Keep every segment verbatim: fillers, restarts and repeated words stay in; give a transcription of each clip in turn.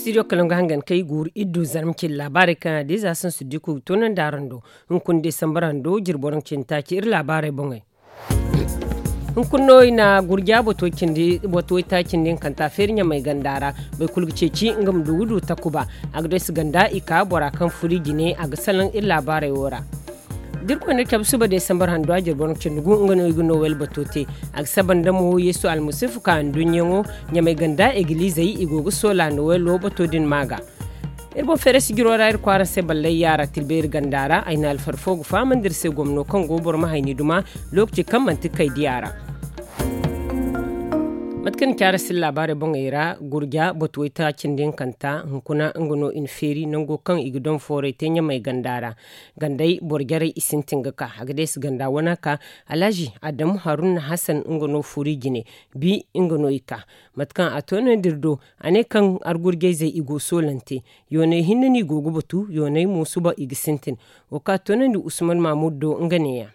Studio kalaŋ ga hangan kay guuru iddu zarma cindi laabaarey kaŋ a diiza sansu diku ga toonandi araŋ do. Hunkuna desambar hando jirbi waranka cindi taaci iri laabaarey boŋey. Hunkuna no i na gurja bato cindi bato way taaci nda hinkanta feeri ɲamay ganda ra. Boro kulu ga ceeci nga ma du ga du takuba. A ga deesi ganda i ka bora kaŋ furo i jine a ga salaŋ iri laabaarey wo ra. Da iri koy no cabe suba desambar hando a jirbi waranka cindi gu nga no i ga nowel bato te. A ga saba nda mo yeesu almasifu ka nduɲɲaŋo ɲamay ganda egilizey i go ga soola nowelo bato din ma ga. Iri boŋ feere sijiro ra iri kwaara se ballay yaara tilbe iri ganda ra ay na alfar fo ga fahamandi iri se gomno kaŋ go boro ma hayni duma. Lookaci kaŋ manti kay diya ra. Mate kaŋ ni caara sila laabaarey boŋey ra gurja batuway taaci nda hinkanta hunkuna nga no i na feeri nango kaŋ i ga daŋ fooray te ɲamay ganda ra. Gandey boro jarey i sintin ga ka a ga deesi ganda wana ka. Alhazi adamu haruna hasan nga no furi jine. Bi nga no i ka mate kaŋ a toonandi iri do. A ne kaŋ argurjayzey i go soolante. Yoonay hinne no i go ga batu yoonay mo suba i ga sintin. Wo kaŋ a toonandi usman mahmud do nga neeya.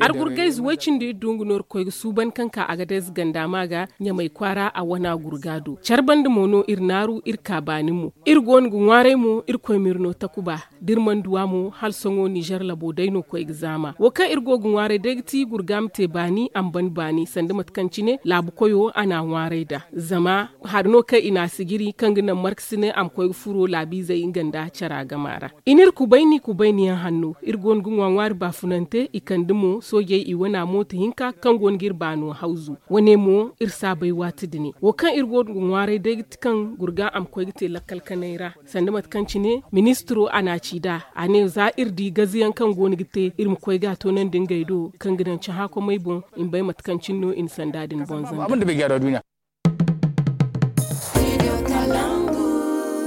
Argurgayze way cindi iri du nga no iri koy ga suuban kaŋ ka agadez ganda ma ga ɲamay kwaara a wana gurga do care banda mo no iri naaru iri ka baani mo. Iri go no ga ŋwaaray mo iri koy ma iri no takuba da iri mana duw'a mo hala sohõ nizer labo day no koy ga zaama wo kaŋ iri go ga ŋwaaray day ga ti gurga ma te baani a ma ban baani sanda mate kaŋ cine laabu koyo a n'a ŋwaaray nd'a. Zama hari no kaŋ i n'a sijiri kaŋ ga naŋ markasinay a ma koy ga furo laabiizey nga nda cara gama ra. I n'iri kubayni kubayni yaŋ hanno iri go no ga ŋwa ŋwaari baafunante i kande mo soojey i wana mooto hinka kaŋ go no ga iri baano hawzu. Wane mo iri saabay waati dini wo kaŋ iri go no ga ŋwaaray day ga ti kaŋ gurga a ma koy ga te lakkal kanay ra. Sanda mate kaŋ cine ministiro a n'a ci nd'a a ne za iri di gaziyaŋ kaŋ go no ga te iri ma koy ga a toonandi ngey do kaŋ ga daŋ cahã komey boŋ. I ma bay mate kaŋ cine no i na sanda din boŋ zanda.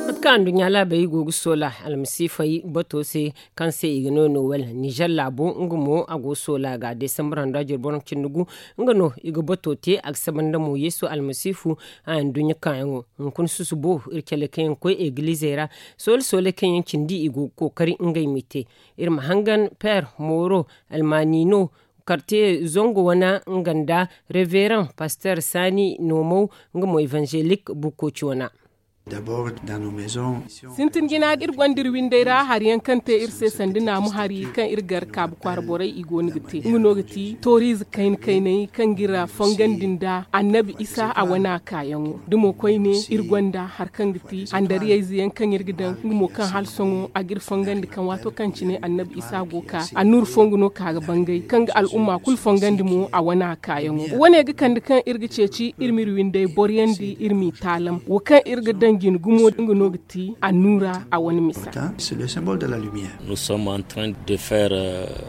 Mate kaŋ anduɲɲa laabey go ga soola almasiifey bato se kaŋ se i ga no nowel nizer laabo nga mo a go ga soola ga desambar hando a jirbi waranka cindi gu. Nga no i ga bato te a ga saba nda mo yeesu almasiifu. A anduɲɲa kaayaŋo hunkuna susubo iri cale kaŋ yaŋ ga koy egilizey ra. Soole sooley kaŋ yaŋ cindi i go ga kookari ngey m'i te. Iri ma hangan peer mooro almaanino kartiye zango wana nga nda reveran paster saani noomaw nga mo evanzelik bukkoci wana. Sintin jina iri gonda iri windey ra hari yaŋ kaŋ te iri se sanda naamu hari kaŋ iri gar kaabu kwaara borey i go no ga te nga no ga ti tooriize kayna kayney kaŋ ga iri fongandi nda annabi isa a wana kaayaŋo da mo koyne iri gonda hari kaŋ ga ti handariyayze yaŋ kaŋ iri ga daŋ nga mo kaŋ hala sohõ a ga iri fongandi kaŋ waato kaŋ cine annabi isa go ka annuuru fongu no ka ga bangay kaŋ ga al'umma kulu fongandi mo a wana kaayaŋo wane ga kande kaŋ iri ga ceeci iri m'iri windey boryandi iri m'i taalam wo kaŋ iri ga daŋ jine gumo nga no ga ti annuura a wane misa.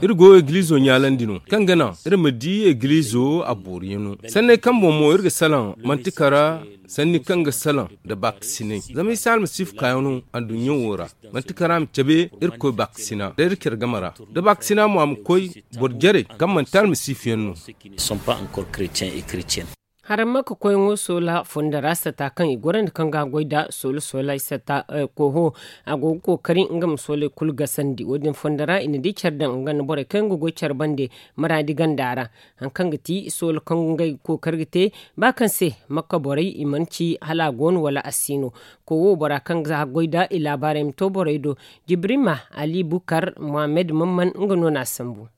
Iri go egilizo ɲaalandi no kaŋ ga naŋ iri ma di egilizo a booriyaŋo sanney kaŋ boŋ mo iri ga salaŋ manti kara sanni kaŋ ga salaŋ nda baakasinay zama isa almasiifu kaayaŋo anduɲɲa wo ra. Manti kara ma cabe irkoy baakasina da iri care game ra da baakasina mo a ma koy boro jarey kaŋ manti almasiifu yaŋ no. Haramma ka koyŋo soola fondo ra sata kaŋ i gorandi kaŋ ga goy nda soola soola sata koho a go ga kookari nga ma sooley kulu gasandi wo- din fondo ra i na di care daŋ nga nda borey kaŋ ga goy care bande maraadi ganda ra. Hari kaŋ ga ti soola kaŋ ngey ga kookari ga te ba kaŋ se makka borey i mana ci hala a go no wala a si no. Kowo bora kaŋ ga goy nda i laabaarey ma to borey do jibrima ali bukar mohammed mamman nga no n'a sambu.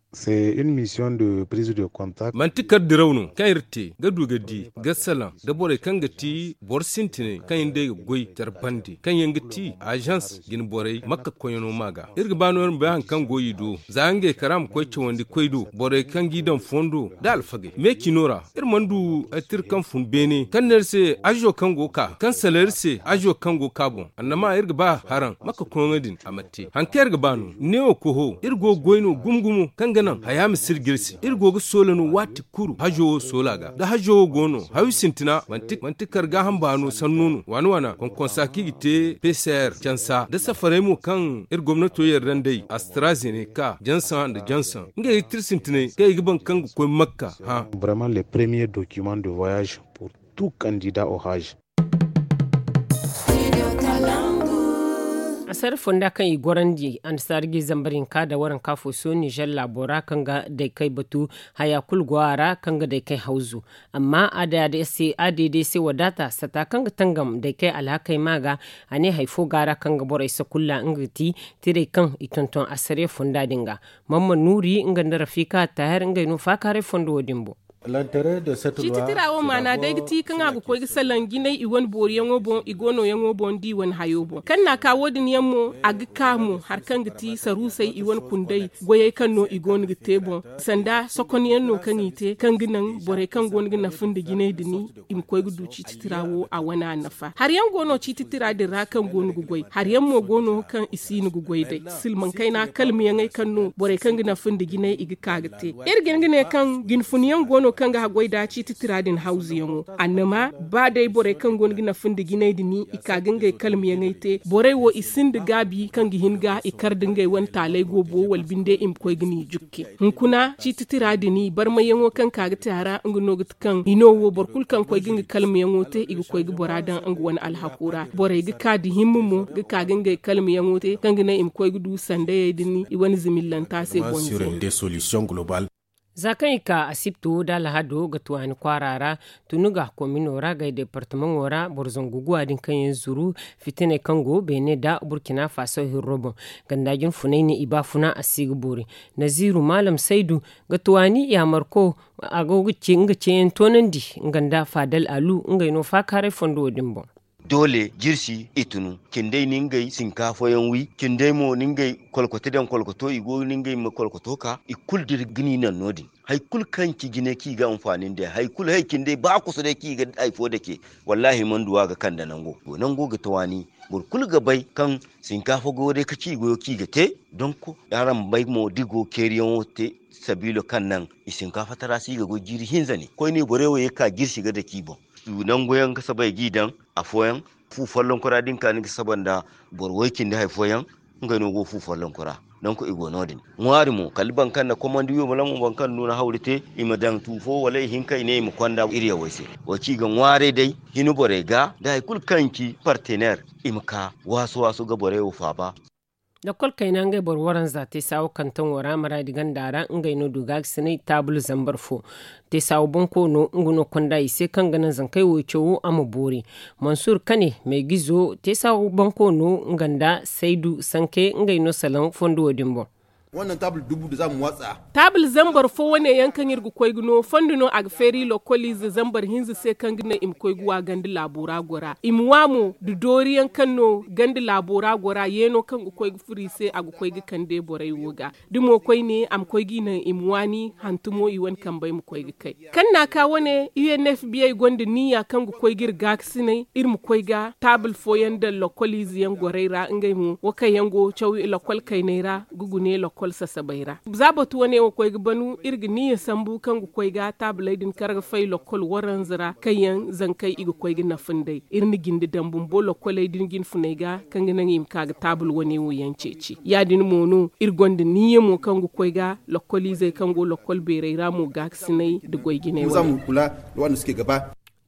Manti kar diraw no kaŋ iri te ga du ga di ga salaŋ da borey kaŋ ga ti boro sintinay kaŋ iri day ga goy care bande kaŋ yaŋ ga ti azans jine borey makka koyyaŋo ma ga iri ga ba no iri ma bay hari kaŋ go i do za ngey kara ma koy cawandi koy do borey kaŋ g'i daŋ fondo nda alfagey meecino ra. Iri mana du tira kaŋ fun beene kaŋ ne iri se azo kaŋ go ga ka kaŋ sala iri se azo kaŋ go ga ka boŋ annama iri ga ba haraŋ makka koyyaŋo din a ma te hari kaŋ iri ga ba no neewo koho iri go ga goy no gumo gumo kaŋ ga naŋ haya ma sirji iri se iri go ga soola no waati kulu hazo wo soola ga da hazo wo go no hawi sintina manti kar gaaham baano sanno no waana waana konkonsa kaŋ i ga te pcr cansa da safarey mo kaŋ iri gomnato yarda nd'ey astrazeneca jansa nda jansa ngey ga tira sintinay kaŋ i ga baŋ kaŋ ga koy makka hã. Tout candidat au hajj. Asar fonda kaŋ i gorandi annasaara ga i zambar hinka nda waranka fo sohõ nizer laabo ra kaŋ ga daykey batu, haya kulu go a ra kaŋ ga daykey hawzu. Amma add se wadaata sata kaŋ ga tangam daykey alhakey ma ga, a ne hari fo go a ra kaŋ ga borey sakulla nga ga ti tirey kaŋ i tonton asariya fonda din ga. Mamman nuuri nga nda rafiika taahir ngey no faakaaray fondo wo- din boŋ. Ciiti tira wo maana day ga ti kaŋ a ga koy ga salaŋ jinay i wane booriyaŋo boŋ i go nooyaŋo boŋ da i wane hayo boŋ kaŋ na a ka wo- din yaŋ mo a ga ka mo hari kaŋ ga ti saruusey i wane kundey goyey kaŋ no i go no ga te boŋ. Sanda sokonyaŋ no kaŋ i te kaŋ ga naŋ borey kaŋ go no ga nafa nda jinay din i ma koy ga du ciiti tira wo a wane a nafa hari yaŋ go no ciiti tira din ra kaŋ go no ga goy hari yaŋ mo go no kaŋ i si no ga goy day silmaŋ kayna kalmiyaŋey kaŋ no borey kaŋ ga nafa nda jinay i ga ka ga te. Iri ga hin ga ne kaŋ jinfun yaŋ go no kaŋ ga haggoy nda ciiti tira din hawzu yaŋo annama ba day borey kaŋ go no ga nafa nda jinay din i ka ga ngey kalmiyaŋey te borey wo i sinda gaabi kaŋ ga hin ga i kar nda ngey wane taaley go bo wala binde i ma koy ga ni jukke. Hunkuna ciiti tira din barmayyaŋo kaŋ ka ga te a ra nga no ga ti kaŋ hino wo boro kulu kaŋ koy ga nga kalmayaŋo te i ga koy ga bora daŋ nga wane alhako ra borey ga ka nda himma mo ga ka ga ngey kalmayaŋo te kaŋ ga naŋ i ma koy ga du sandayey din i wane zimillanta se boŋ. Za kaŋ i ka asibti wo nda alhado ga tuwaani kwaara ra, tunu ga komino ra gay deepartamaŋo ra boro zangu guwa din kaŋ yaŋ zuru fitiney kaŋ go beene nda burkina faso hirro boŋ. Ganda jinfunay ne i baafuna a si ga boori. Naziiru maalam saydu ga tuwaani yaamarko a go ga ce nga ceeyaŋ toonandi nga nda faadal alu ngey no faakaaray fondo wo- din boŋ. Doole jirsi i tunu cindey na ngey sinkaafayaŋ wi cindey mo na ngey kolkoto daŋ kolkoto i go na ngey ma kolkoto ka i kulu dira ga ni naŋ no- din. Hari kulu kaŋ ci jine kaŋ i ga anfaani nda hari kulu hari cindey ba kusa day kaŋ i ga hari fo dake. Wallaahi manduwa ga kande nango nango ga tawaani. Boro kulu ga bay kaŋ sinkaafa goyo day ka ci i goyo kaŋ i ga te. Donk araŋ ma bay mo da i go ga keeriyaŋo te sabiilo kaŋ naŋ i sinkaafa tara se i ga goy jiiri hinza ne koyne borey wo ye ga ka jirsi ga dake i boŋ. Nangu yaŋ ga saba i g'i daŋ afooyaŋ fu follonkora da ni ka ni ga saba nda boro way cindi hari fooyaŋ. Ngey no go fu follonkora. Donk i go no- din ŋwaari mo kala boro kaŋ na komandi wiyo ma laŋ mo boro kaŋ du na hawri te i ma daŋ tu fo wala i hinka i ne i ma konda iri yawey se. Wo ci ga ŋwaarey day hina borey ga da hari kulu kaŋ ci partener i ma ka waasu waasu ga borey wo faaba. Lakkol kayna ngey boro waranza te saawo kantaŋo ra maraadi ganda ra ngey no du gaagasinay taabul zambar fo. Te saawo bonkoono nga no konda i se kaŋ ga naŋ zankey wo cawo a ma boori. Mansur kane meegizo te saawo bonkoono nga nda saydu sanke ngey no salaŋ fondo wo- din boŋ. Taabul zambar fo wane yaŋ kaŋ iri ga koy ga no fondo no a ga feeri lokkoliize zambar hinza se kaŋ ga naŋ i ma koy ga wa ganda laabo ra gora i ma wa mo nda doori yaŋ kaŋ no ganda laabo ra gora yeeno kaŋ ga koy ga furo i se a ga koy ga kande borey wo ga. Da mo koyne a ma koy ga i naŋ i ma waani hantumo i wane kambey ma koy ga kay. Kaŋ na a ka wane u n f biyey gonda niya kaŋ ga koy ga iri gaakasinay iri ma koy ga taabul fooyaŋ daŋ lokkol ize yaŋ gorey ra ngey mo wo kaŋ yaŋ go caw lokkol kayney ra ga gune lokkol sasabey ra. Za batu wane wo koy ga banu iri ga niya sambu kaŋ ga koy ga taabuley din kar ga fay lokkol waranza ra kaŋ yaŋ zankey i ga koy ga nafa nd'ey. Iri na jinde daŋ bumbo lokkoley din jinfuney ga kaŋ ga naŋ i ma ka ga taabul wane wo yaŋ ceeci ya- din mo no iri gonda niya mo kaŋ ga koy ga lokkol izey kaŋ go lokkol beerey ra mo gaakasinay nda goy jinay wane.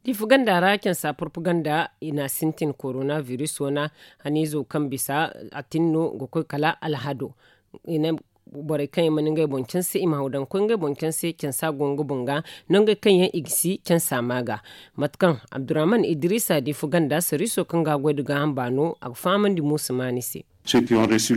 Diifa ganda ra cansa propaganda i na a sintin korona biris wana haniizo kaŋ bisa a tin no ga koy kala alhado. I ne borey kaŋ yaŋ mana ngey boŋ canse i ma haw daŋ koy ngey boŋ canse cansa go nga boŋ ga nongey kaŋ yaŋ i ga si cansa ma ga. Mate kaŋ abdurrahman idrisa diifa ganda sariiso kaŋ ga a goy nda gaaham baano a ga fahamandi muusa maani se.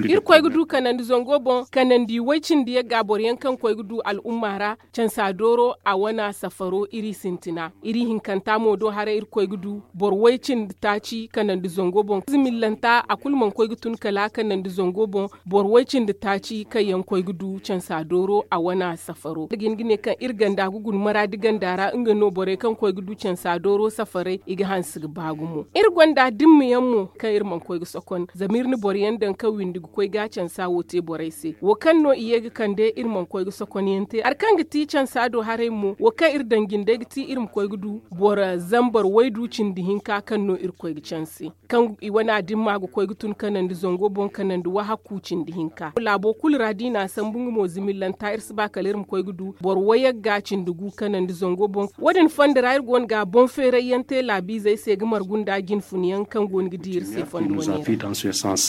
Iri koy ga du kanandi zango boŋ kanandi way cindi yagga boro yaŋ kaŋ koy ga du al'umma ra cansa dooro a wana safaro iri sintina iri hinkanta mo do haray iri koy ga du boro way cindi taaci kanandi zango boŋ zimillanta a kulu mana koy ga tun kala kanandi zango boŋ. Boro way cindi taaci kaŋ yaŋ koy ga du cansa dooro a wana safaro iri ga hin ga ne kaŋ iri ganda ga guna maraadi ganda ra nga no borey kaŋ koy ga du cansa dooro safarey i ga hanse ga ba gumo iri gonda dimma yaŋ mo kaŋ iri mana koy ga sokon zama iri na boro yaŋ daŋ kaŋ windi ga koy ga cansa wo te borey se wo kaŋ no i ye ga kande iri mana koy ga sokon yaŋ te hari kaŋ ga ti cansa do haray mo wo kaŋ iri daŋ jindey ga ti iri ma koy ga du boro zambar waydu cindi hinka kaŋ no iri koy ga canse kaŋ i wana dimma ga koy ga tun kanandi zango boŋ kanandi wahakku cindi hinka laabo kulu ra da i na a sambu nga mo zimillanta iri si ba kala iri ma koy ga du boro wayagga cindi gu kanandi zango boŋ. Wo- din fondo ra iri go no ga boŋ feeray yaŋ te laabiizey se ga margu nda jinfun yaŋ kaŋ go no ga di iri se fondo wane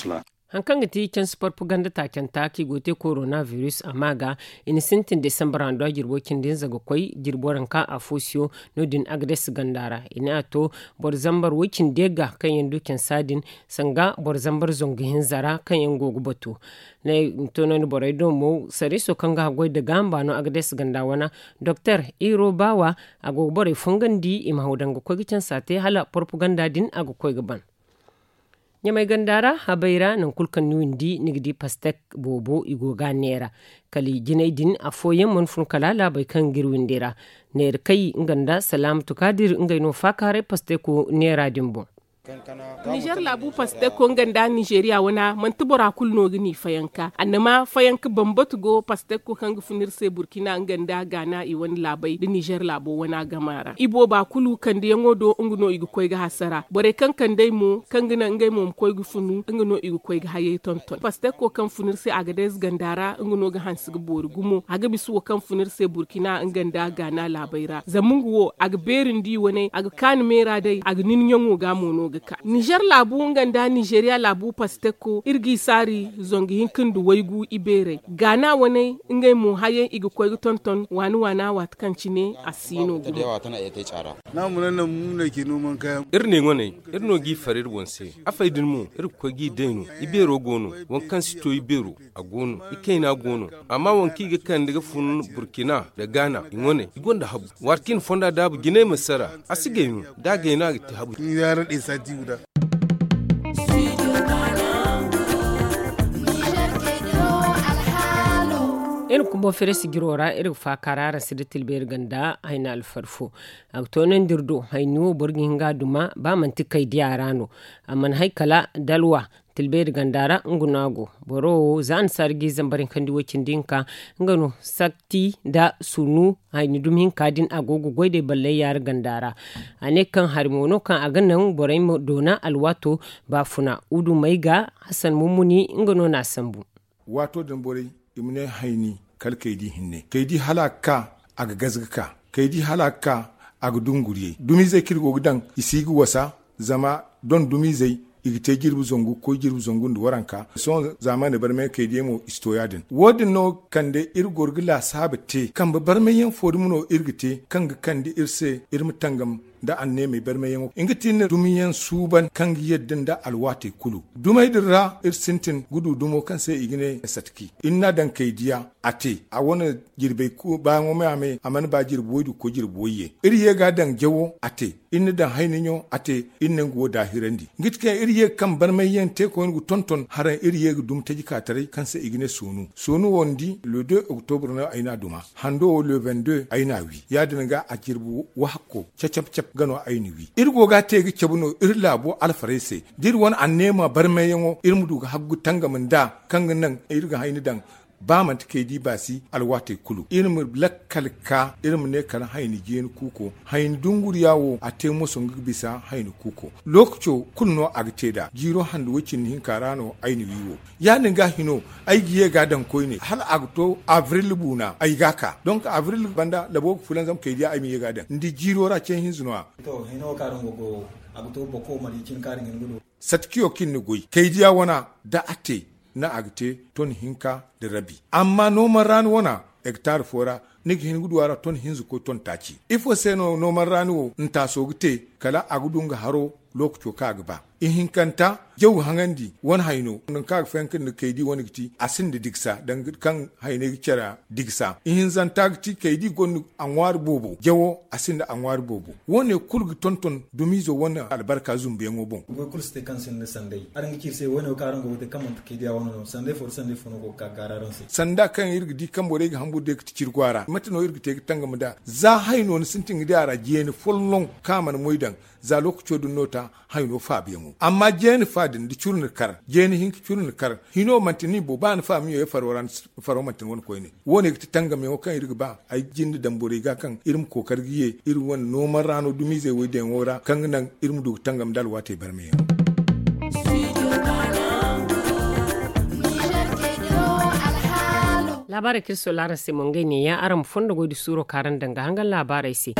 ra. Hari kaŋ ga ti cansi porpaganda taacanta kaŋ i go ga te korona virus a ma ga, i na sintin desambar handu a jirbo cindi hinza ga koy jirbo ranka afo siyo. No- din agades ganda ra i ne a to boro zambar way- cindi ga kaŋ yaŋ du cansa din, sanga boro zambar zangu hinza ra kaŋ yaŋ go ga batu. Toonandi borey do mo sarriiso kaŋ ga haggoy nda gaaham baano agades ganda wana doktor iro baawa, a go ga borey fongandi i ma haw daŋ ga koy ga cansa te hala porpaganda din a ga koy ga ban. Ɲamay ganda ra habay ra nangu kulu kaŋ ni windi ni ga di pastek boobo i go ga a neera. Kala i jinay din afooyaŋ mana fun kala laabey kaŋ ga iri windi ra. Neera kay nga nda salaamatu kaadir ngey no faakaaray pasteko neera din boŋ. Nizer laabu pasteko nga nda nizeriya wana manti bora kulu no ga ni fayanka annama fayanka bambatu go pasteko kaŋ ga fun iri se burkina nga nda gaana i wane laabey nda nizer laabo wana gama ra i booba kulu kandiyaŋo do nga no i ga koy ga hasara borey kaŋ kandey mo kaŋ ga naŋ ngey mo ma koy ga funu nga no i ga koy ga hayey tonton pasteko kaŋ fun iri se a ga day ze ganda ra nga no ga hanse ga boori gumo a ga bisa wo kaŋ fun iri se burkina nga nda gaana laabey ra zama nga wo a ga beeri nda i wane a ga kaani meera day a ga nin ɲaŋo ga mo no ga ka nizer laabu nga nda nizeriya laabu pasteko iri g'i saari zangu hinka nda waygu ibeerey gaana wane ngey mo hayey i ga koy ga tonton waani waana waati kaŋ cine a si no gumo. Iri ne ŋwaney iri no g'i far iri boŋ se afey din mo iri ga koy g'i day no ibeero go no waŋ kaŋ si to ibeero a go no ikayna go no amma waŋ kaŋ i ga kande ga fun burkina nda gaana i wane i gonda habu waati kaŋ i na fonda daabu jinay ma sara a si gay no da a gay no a ga te habu. Iri kumbo fere sijiro ra iri ga faaka ra araŋ si da tilbeeri ganda hayna alfari fo. A ga toonandi iri do hayni wo boro ga hin ga a duma ba manti kaydiya ra no a mana hay kala dalwa tilbeeri ganda ra nga no a go. Boro wo za annasaara g'i zambar hinkandi way-cindi hinka nga no sakti nda sunu hayni dumi hinka din a go ga goy day ballay yaara ganda ra. A ne kaŋ hari mo no kaŋ a ga naŋ borey ma doona alwaato baafuna wudumey ga hasan mummuni nga no n'a sambu. Waato din borey i ma ne hayni kala kaydi hinne kaydi hala a ga ka a ga gaze ga ka kaydi hala a ga ka a ga dunguriyey dumizey kaŋ iri go ga daŋ i si ga wasa. Zama don dumizey i ga te jirbi zangu ga koy jirbi zangu nda waranka sohõ zaamaani barmay kaydiyaŋ mo i si to ya- din wo- din no kande iri goro ga laasaabu te kambe barmayyaŋ fo dumi no iri ga te kaŋ ga kande iri se iri ma tangam nda anneemey barmayyaŋo nga ti iri na dumiyaŋ suuban kaŋ ga yadda nda alwaatey kulu dumey din ra iri sintin ga du dumo kaŋ se i ga ne satki iri n'a daŋ kaydiya a te a wane jirbey baayaŋo me a me a mana ba jirbi waydu ga koy jirbi wayye iri ye ga a daŋ jawo a te iri na daŋ hayniɲo a te iri na nga wo daahirandi nga ti kaŋ iri ye ga kaŋ barmayyaŋ te koyne ga tonton haraŋ iri ye ga dumi taji ka taray kaŋ se i ga ne soonu soonu wo ni di le deux octobre no ay n'a duma hando wo le vingt deux ay n'a wi ya- din ga a jirbi wahakko cacap-cap ga no ay na wi iri go ga a te ga cabe no iri laabo alfarey se da iri wane anneema barmayyaŋo iri ma du ga haggu tangam nd'a kaŋ ga naŋ iri ga hayni daŋ ba manti kaydi baasi alwaatey kulu iri ma lakkal ka iri ma ne kala hayni jeeni kuuko hayni dunguriya wo a te moso nga ga bisa hayni kuuko lookaco kulu no a ga te nd'a jiiro hande way-cindi hinka ra no ay na wi wo ya- din ga hino ay ga ye ga a daŋ koyne hala a ga to abril buuna ay ga a ka donk abril banda labo ga fulanzam kaydiya ay ma ye ga a daŋ ni di jiiro ra ce hinza no- ya. To hino kaŋ araŋ go go a ga to boko mali cin kaŋ araŋ ga hin ga du. Satkiyo kaŋ iri na goy kaydiya wana da a te no a ga te ton hinka nda rabi amma nooman raani wana hektar fo ra ni ga hin ga du a ra ton hinza koy ton taaci ifo se no nooman raani wo ntaaso ga te kala a ga du nga haro lookaco kaŋ a ga ba ihinkanta jaw haŋandi wane hayno nangu kaŋ a ga fayanka nda kaydi wane ga ti a sinda digsa danga kaŋ hayney ga care digsa ihinzanta ga ti kaydi gonda a ŋwaari boobo jawo a sinda a ŋwaari boobo wo- ne kulu ga tonton dumiizo wane albarka zumbuyaŋo boŋ. Goy kulu si te kaŋ sinda sanday araŋ ga ci iri se wo- ne wo kaŋ araŋ go ga te kaŋ manti kaydiya wane no sanday fo nda sanday fo no go ga ka ga gaara araŋ se. Sanda kaŋ iri ga di kaŋ borey ga hamburu day ga ti cirgo a ra mate no iri ga te ga tangam nd'a za hayno ni sintin ga di a ra jeeni folloŋ kaŋ a mana moy daŋ za lookaco din no ta hayno faabuyaŋo amma jeeni fa din da curu na kar jeeni hinka curu na kar hino manti ni bo ba ni fa ma ɲoyey faro ra ni si faro manti ni wane koyne wo- ne ga ti tangamyaŋo kaŋ iri ga ba ay jinde daŋ borey ga kaŋ iri ma kookari ga ye iri wane nooman ra no dumiizey woydiyaŋo ra kaŋ ga naŋ iri ma du ga tangam nda alwaatey barmayaŋo. Laabaarey kaŋ iri sola araŋ se mo ngey neeya araŋ ma fondo goy da suuro kaŋ araŋ daŋ ga hangan laabaarey se.